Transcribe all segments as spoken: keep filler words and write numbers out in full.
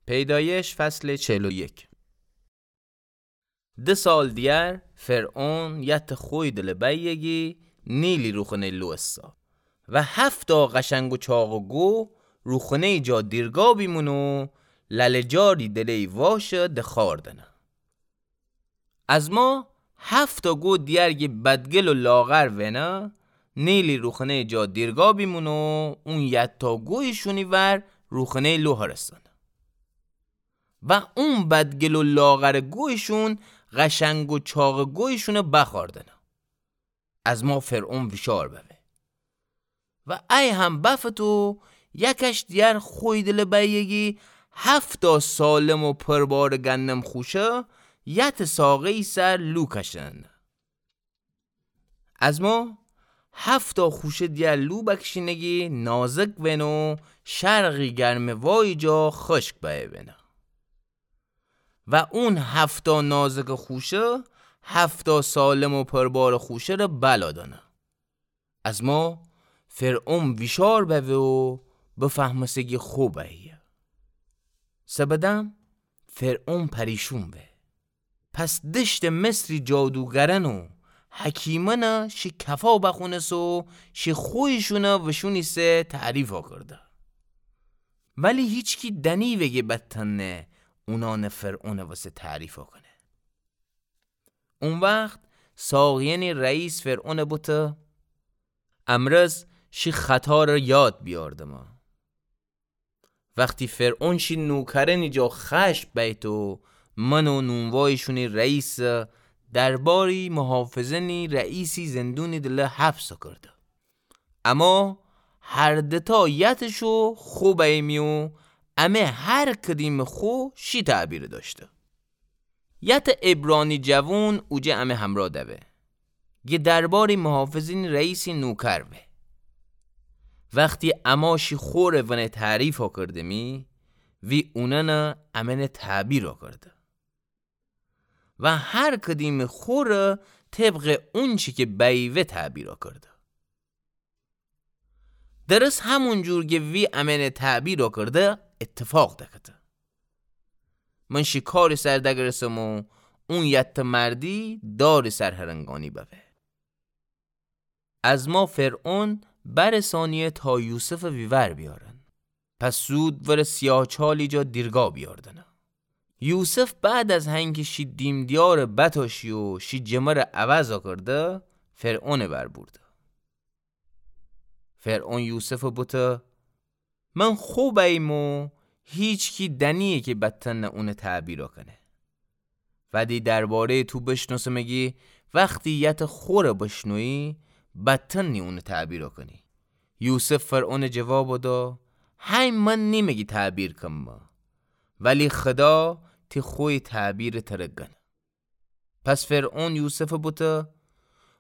پیدایش فصل چهل و یک. د سال دیگر فرعون یتٚ خوی دلٚ بأیه گی نیلی روخنه‌ی لو اسه و هفتا قشنگ و چاقٚ گو روخنه‌ی جا دیرگا بیمونه و لله‌جاری دله‌ی واشه دخاردنه. از ما هفتا گو دیگر گی بدگل و لاغر وینه، نیلی روخنه‌ی جا دیرگا بیمونه و اون یتا گویشونی ور روخنه‌ی لو هرسنه. و اون بدگل و لاغرٚ گویشون قشنگ و چاقٚ گویشونه بخاردنه. از ما فرعون ویشار بوه. و ای هم بفته یکش دیگر خوی دلٚ بأیه گی هفتا سالم و پربارٚ گندم خوشه یتٚ ساقه‌یی سر لو کشنه. از ما هفتا خوشه دیگر لو بکشینه گی نازک وینه و شرقی گرمٚ وایی جا خشک بأیه وینه. و اون هفتا نازکٚ خوشه هفتا سالم و پربارٚ خوشه‌ره بلا دنه. از ما فرعون ویشار بوه و بفهمسه گی خو بأیه. سبدم فرعون پریشون وه. پس دشتٚ مصری جادوگرأن و حکیمأنه شی کفا بخونسه و شی خویشونه وشونی سه تعریفا کرده. ولی هیچکی دنیوه گی بتأنه اونأنه فرعونٚ وسه تعریفا کنه. او وخت ساقیأنی رئیس فرعونه بوته: امرز شی خطاره یاد بیاردمه. وختی فرعون شی نوکرأنی جا خشم بیت و من و نونوایی‌شونی رئیسه درباری محافظأنی رئیسی زندونی دله حبسه کرده. اما هر دتا یتٚ شو خو بیمی و امه هر کدیمٚ خو شی تعبیره داشته. یتٚ عبرانی جوون اوجه امه همرا دوه گی درباری محافظأنی رئیسی نوکر وه. وختی اما شی خوره ونه تعریفا کردمی، وی اونأنه امأنه تعبیرا کرده. و هر کدیمٚ خوره طبقٚ اونچی کی بیوه تعبیرا کرده. درست همون جور گی وی امأنه تعبیرا کرده اتفاق دکته. من شی کاری سر دگرسم و اون یتٚ مردی داری سر هرنگانی ببه. از ما فرعون برسانیه تا یوسفٚ ویور بیارن. پس زود ورٚ سیاهچالی جا دیرگا بیاردنه. یوسف بعد از هنکه شی دیم‌دیارٚ بتاشی و شی جمرٚ عوضا کرده، فرعونٚ ور بورده. فرعون یوسفٚ بوته: من خو بیم و هیچکی دنیه کی بتأنه اونٚ تعبیرا کنه. ولی درباره‌یٚ تو بشنوسمه گی وختی یتٚ خوره بشنویی، بتأنی اونٚ تعبیرا کنی. یوسف فرعونٚ جوابا دا: هی من نیمه گی تعبیر کمه، ولی خدا تی خوی تعبیره تره گنه. پس فرعون یوسفٚ بوته: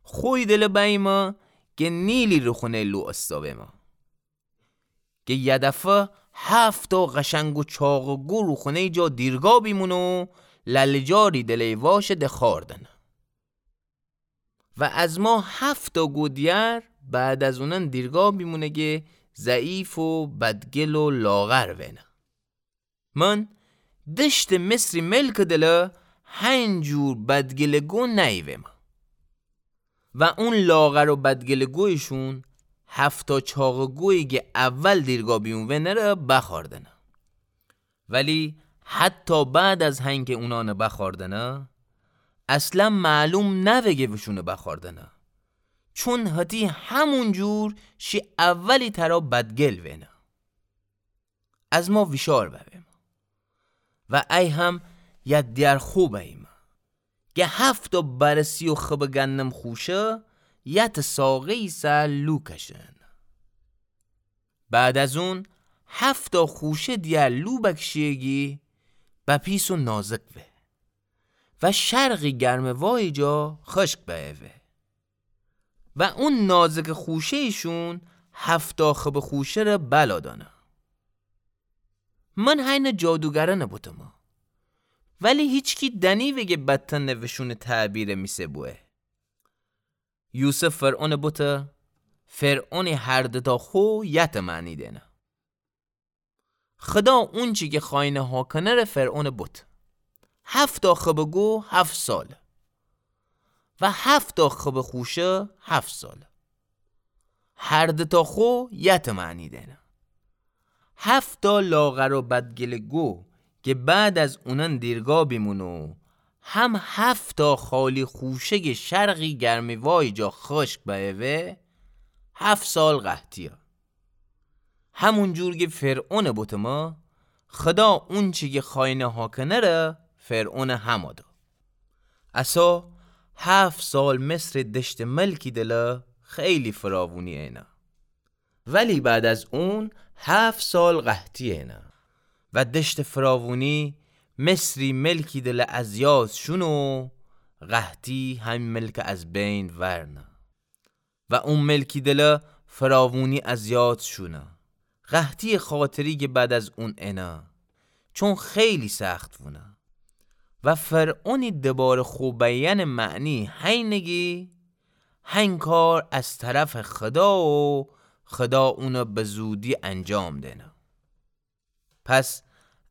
خوی دلٚ بیمه گه نیلی روخونه‌یٚ لو استا ویمه. گه یه دفعه هفتا قشنگ و چاقٚ گو روخونه‌یٚ جا دیرگا بیمونه و لله‌جاری دله‌یٚ واشه دخاردنه. و از ما هفتا گو دیگر بعد از اونأن دیرگا بیمونه گه ضعیف و بدگل و لاغر وینه. من دشتٚ مصری ملکٚ دله هنجور بدگلٚ گو نییویمه. و اون لاغر و بدگلٚ گویشون هفتا چاقٚ گویی گه اول دیرگا بیون ونره بخاردنه. ولی حتی بعد از هنکه اونأنه بخاردنه، اصلا معلوم نوه گه وشونه بخاردنه. چون هتی همون جور شی اولی ترا بدگل وینه. از ما ویشار ببیم. و ای هم یه دیار خو بیم. گه هفتا برسی و خبٚ گندم خوشه، یتٚ ساقه‌یی سر لو کشن. بعد از اون هفتا خوشه دیار لو بکشیه گی بپیس و نازک وه. و شرقی گرمٚ وایی جا خشک بأیه وه. و اون نازکٚ خوشه‌یشون هفتا خبٚ خوشه‌ره بلا دانه. من هینه جادوگرأنه بوتمه. ولی هیچکی دنیوه گه بتأنه وشونٚ تعبیره میسه بوه. یوسف فرعونٚ بوته، فرعونی هر دوتا خو یتٚ معنی دینه. خدا اونچی کی خوأینه هاکنه ره فرعونٚ بوته. هفتا خبٚ گو هفت ساله و هفتا خبٚ خوشه هفت ساله. هر دوتا خو یته معنی دئنه. هفتا لاغر و بدگلٚ گو کی بعد از اونأن دیرگا بیمونه و هم هفتا خالی خوشگٚ شرقی گرمیوایی جا خشک بأیه و هفت سال قحطیه. همون جور کی فرعونٚ بوته مه، خدا اونچی کی خوأینه هاکنه ره فرعونٚ همه ده. اسه هفت سال مصرٚ دشتٚ ملکی دله خیلی فراوونی اینه. ولی بعد از اون هفت سال قحطی اینه و دشتٚ فراوونی مصری ملکی دله از یاد شونه و قحطی همین ملک از بین ورنه. و اون ملکی دله فراوونی از یاد شونه. قحطی خاطری کی بعد از اون اینه، چون خیلی سخت وونه. و فرعونی دبار خو بیأنٚ معنی هینه کی هین کار از طرفٚ خدا و خدا اونه به زودی انجام دئنه. پس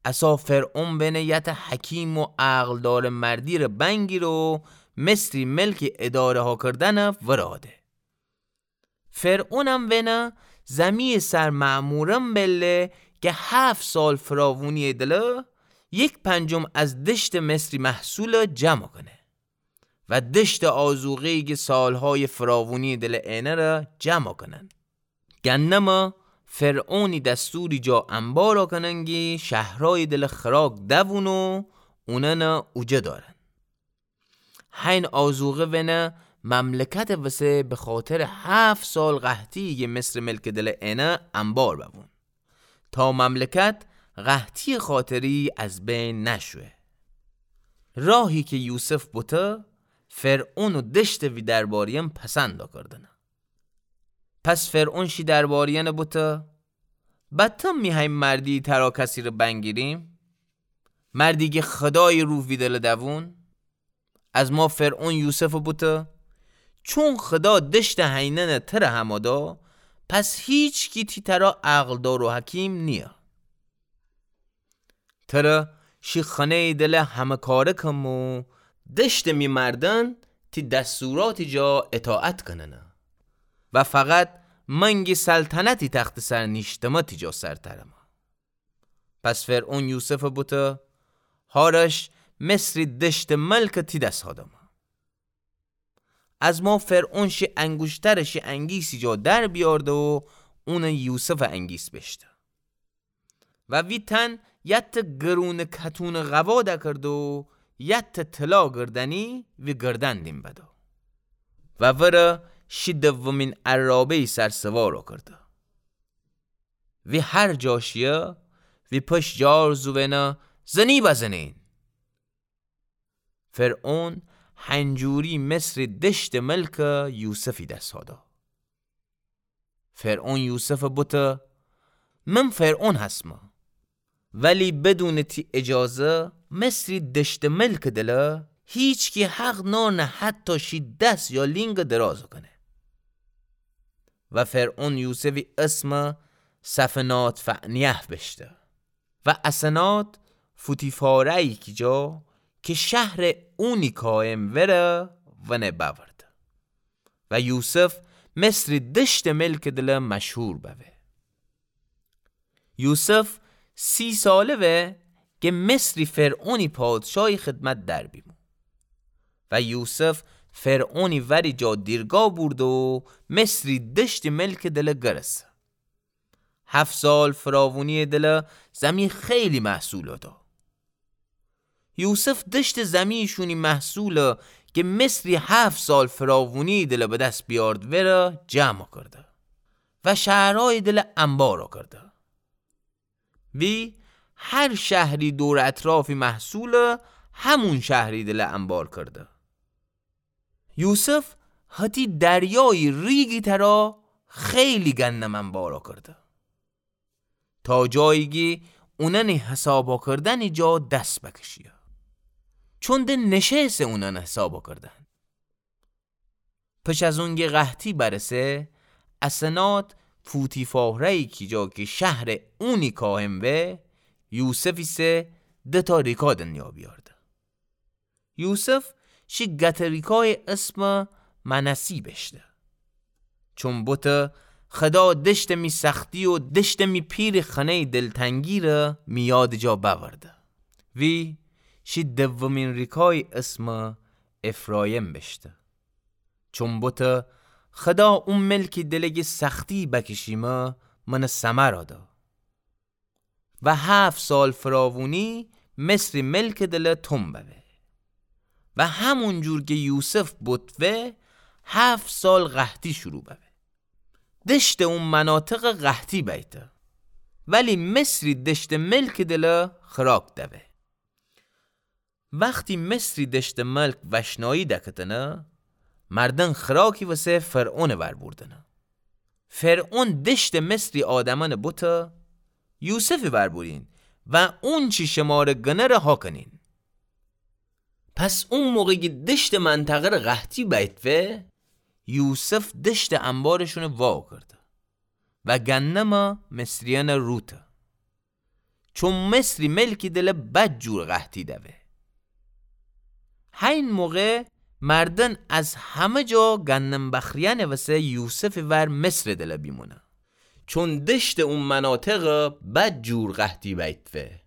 اسه فرعون بئنه یته حکیم و عقلدارٚ مردی ره بنگیره و مصری ملکی اداره هاکردنٚ وراده. فرعونم وئنه زمی‌یٚ سر مأمورأن بله کی هفت سال فراوونی‌یٚ دله یک پنجم از دشتٚ مصری محصول جمع کنه و دشتٚ آذوقه‌یی کی سالهای فراوونی‌یٚ دله اینه ره جمع کنن. گندمه فرعونی دستوری جا انبار کنن کی شهرهایٚ دله خوراک دوون و اونأنه اوجه دارن. هین آذوقه وئنه مملکتٚ وسه به خاطرٚ هفت سال قحطی کی مصرٚ ملکٚ دله اینه انبار بوون، تا مملکت قحطی‌یٚ خاطری از بین نشوه. راهی کی یوسف بوته، فرعون و دشتٚ وی درباریأن پسند کردنه. پس فرعون شی درباریأن بوته، بتم می هین مردی ترا کسی ره بنگیریم؟ مردی کی خدایٚ روح وی دله دوون؟ از ما فرعون یوسف بوته، چون خدا دشتٚ هینأن تره همه دا، پس هیچکی تی ترا عقلدار و حکیم نیه. تره شی خانه‌یٚ دله همه کاره کم و دشتٚ می مردن تی دستوراتی جا اطاعت کننه و فقط من کی سلطنتٚ تختٚ سر نیشتمه تی جا سرترمه. پس فرعون یوسف بوته، هارش مصری دشتٚ ملک تی دس هادمه. از ما فرعون شی انگوشتر شی انگیسی جا در بیارده و اون یوسفٚ انگیس بشته. و وی تن یت گرونٚ کتونٚ قوا دکرده و یت طلا گردنی وی گردن دیم بده. و وره شی دومین عرابه‌یٚ سر سوار کرده. وی هر جا شیه، وی پشت جار زوئنه، زنی بزنین. فرعون هنجوری مصری دشتٚ ملک یوسفی دس هادا. فرعون یوسف بوته، من فرعون هسمه. ولی بدونٚ تی اجازه مصری دشتٚ ملکٚ دله هیچکی حق نارنه حتی شی دس یا لینگ دراز کنه. و فرعون یوسفی اسم سفنات فعنیه بشته. و اسنات فوتیفاره‌یی کی جا کی شهرٚ اونی قایم وره ونه بأورده. و یوسف مصری دشتٚ ملکٚ دله مشهور بوه. یوسف سی ساله وه کی مصری فرعونی پادشاهی خدمت در بیمو. و یوسف فرعونی وری جا دیرگا بورده و مصری دشتٚ ملکٚ دله گرسه. هفت سال فراوونیٚ دله زمی خیلی محصول دا. یوسف دشتٚ زمی شونی محصول کی مصری هفت سال فراوونیٚ دله به دس بیارد وره جمع کرده و شهرهایٚ دله انبار کرده. وی هر شهری دور اطرافی محصول همون شهری دله انبار کرده. یوسف هتی دریایی ریگی ترا خیلی گندم انبار کرده. تا جایی کی اوننی حساب کردنی جا دس بکشیه. چون ده نشه‌سه اونن حساب کردن. پش از اونگی قحطی برسه، اسنات پوتیفاره‌یی کی جا کی شهرٚ اونی کاهن وه، یوسفی سه دتا ریکا دنیا بیارده. یوسف شی گته ریکایٚ اسم منسی بشته. چون بوته خدا دشتٚ می سختی و دشتٚ می پیرٚ خنه‌یٚ دلتنگی ره می یادٚ جا بأورده. وی شی دومین ریکایٚ اسم افرایم بشته. چون بوته خدا او ملکی دلٚ گی سختی بکشیمه منٚ ثمر آده. و هفت سال فراوونی مصری ملکٚ دله توم ببه. و همون جور کی یوسف بوت وه، هفت سال قحطی شروع ببه. دشتٚ او مناطق قحطی بیته. ولی مصری دشتٚ ملکٚ دله خوراک دوه. وختی مصری دشتٚ ملک وشنایی دکتنه، مردن خوراکی وسه فرعونٚ ور بوردنه. فرعون دشتٚ مصری آدمأنٚ بوته، یوسفٚ ور بورین و اونچی شمره گنه ره هاکنین. پس او موقع کی دشتٚ منطقه ره قحطی بیت وه، یوسف دشتٚ انبارشونه واکرده و گندم مصریأنه روته. چون مصری ملکی دله بد جور قحطی دوه. هین موقع مردن از همه جا گندم بخریأنٚ وسه یوسفٚ ور مصرٚ دله بیمونه. چون دشتٚ او مناطق بد جور قحطی بیت وه.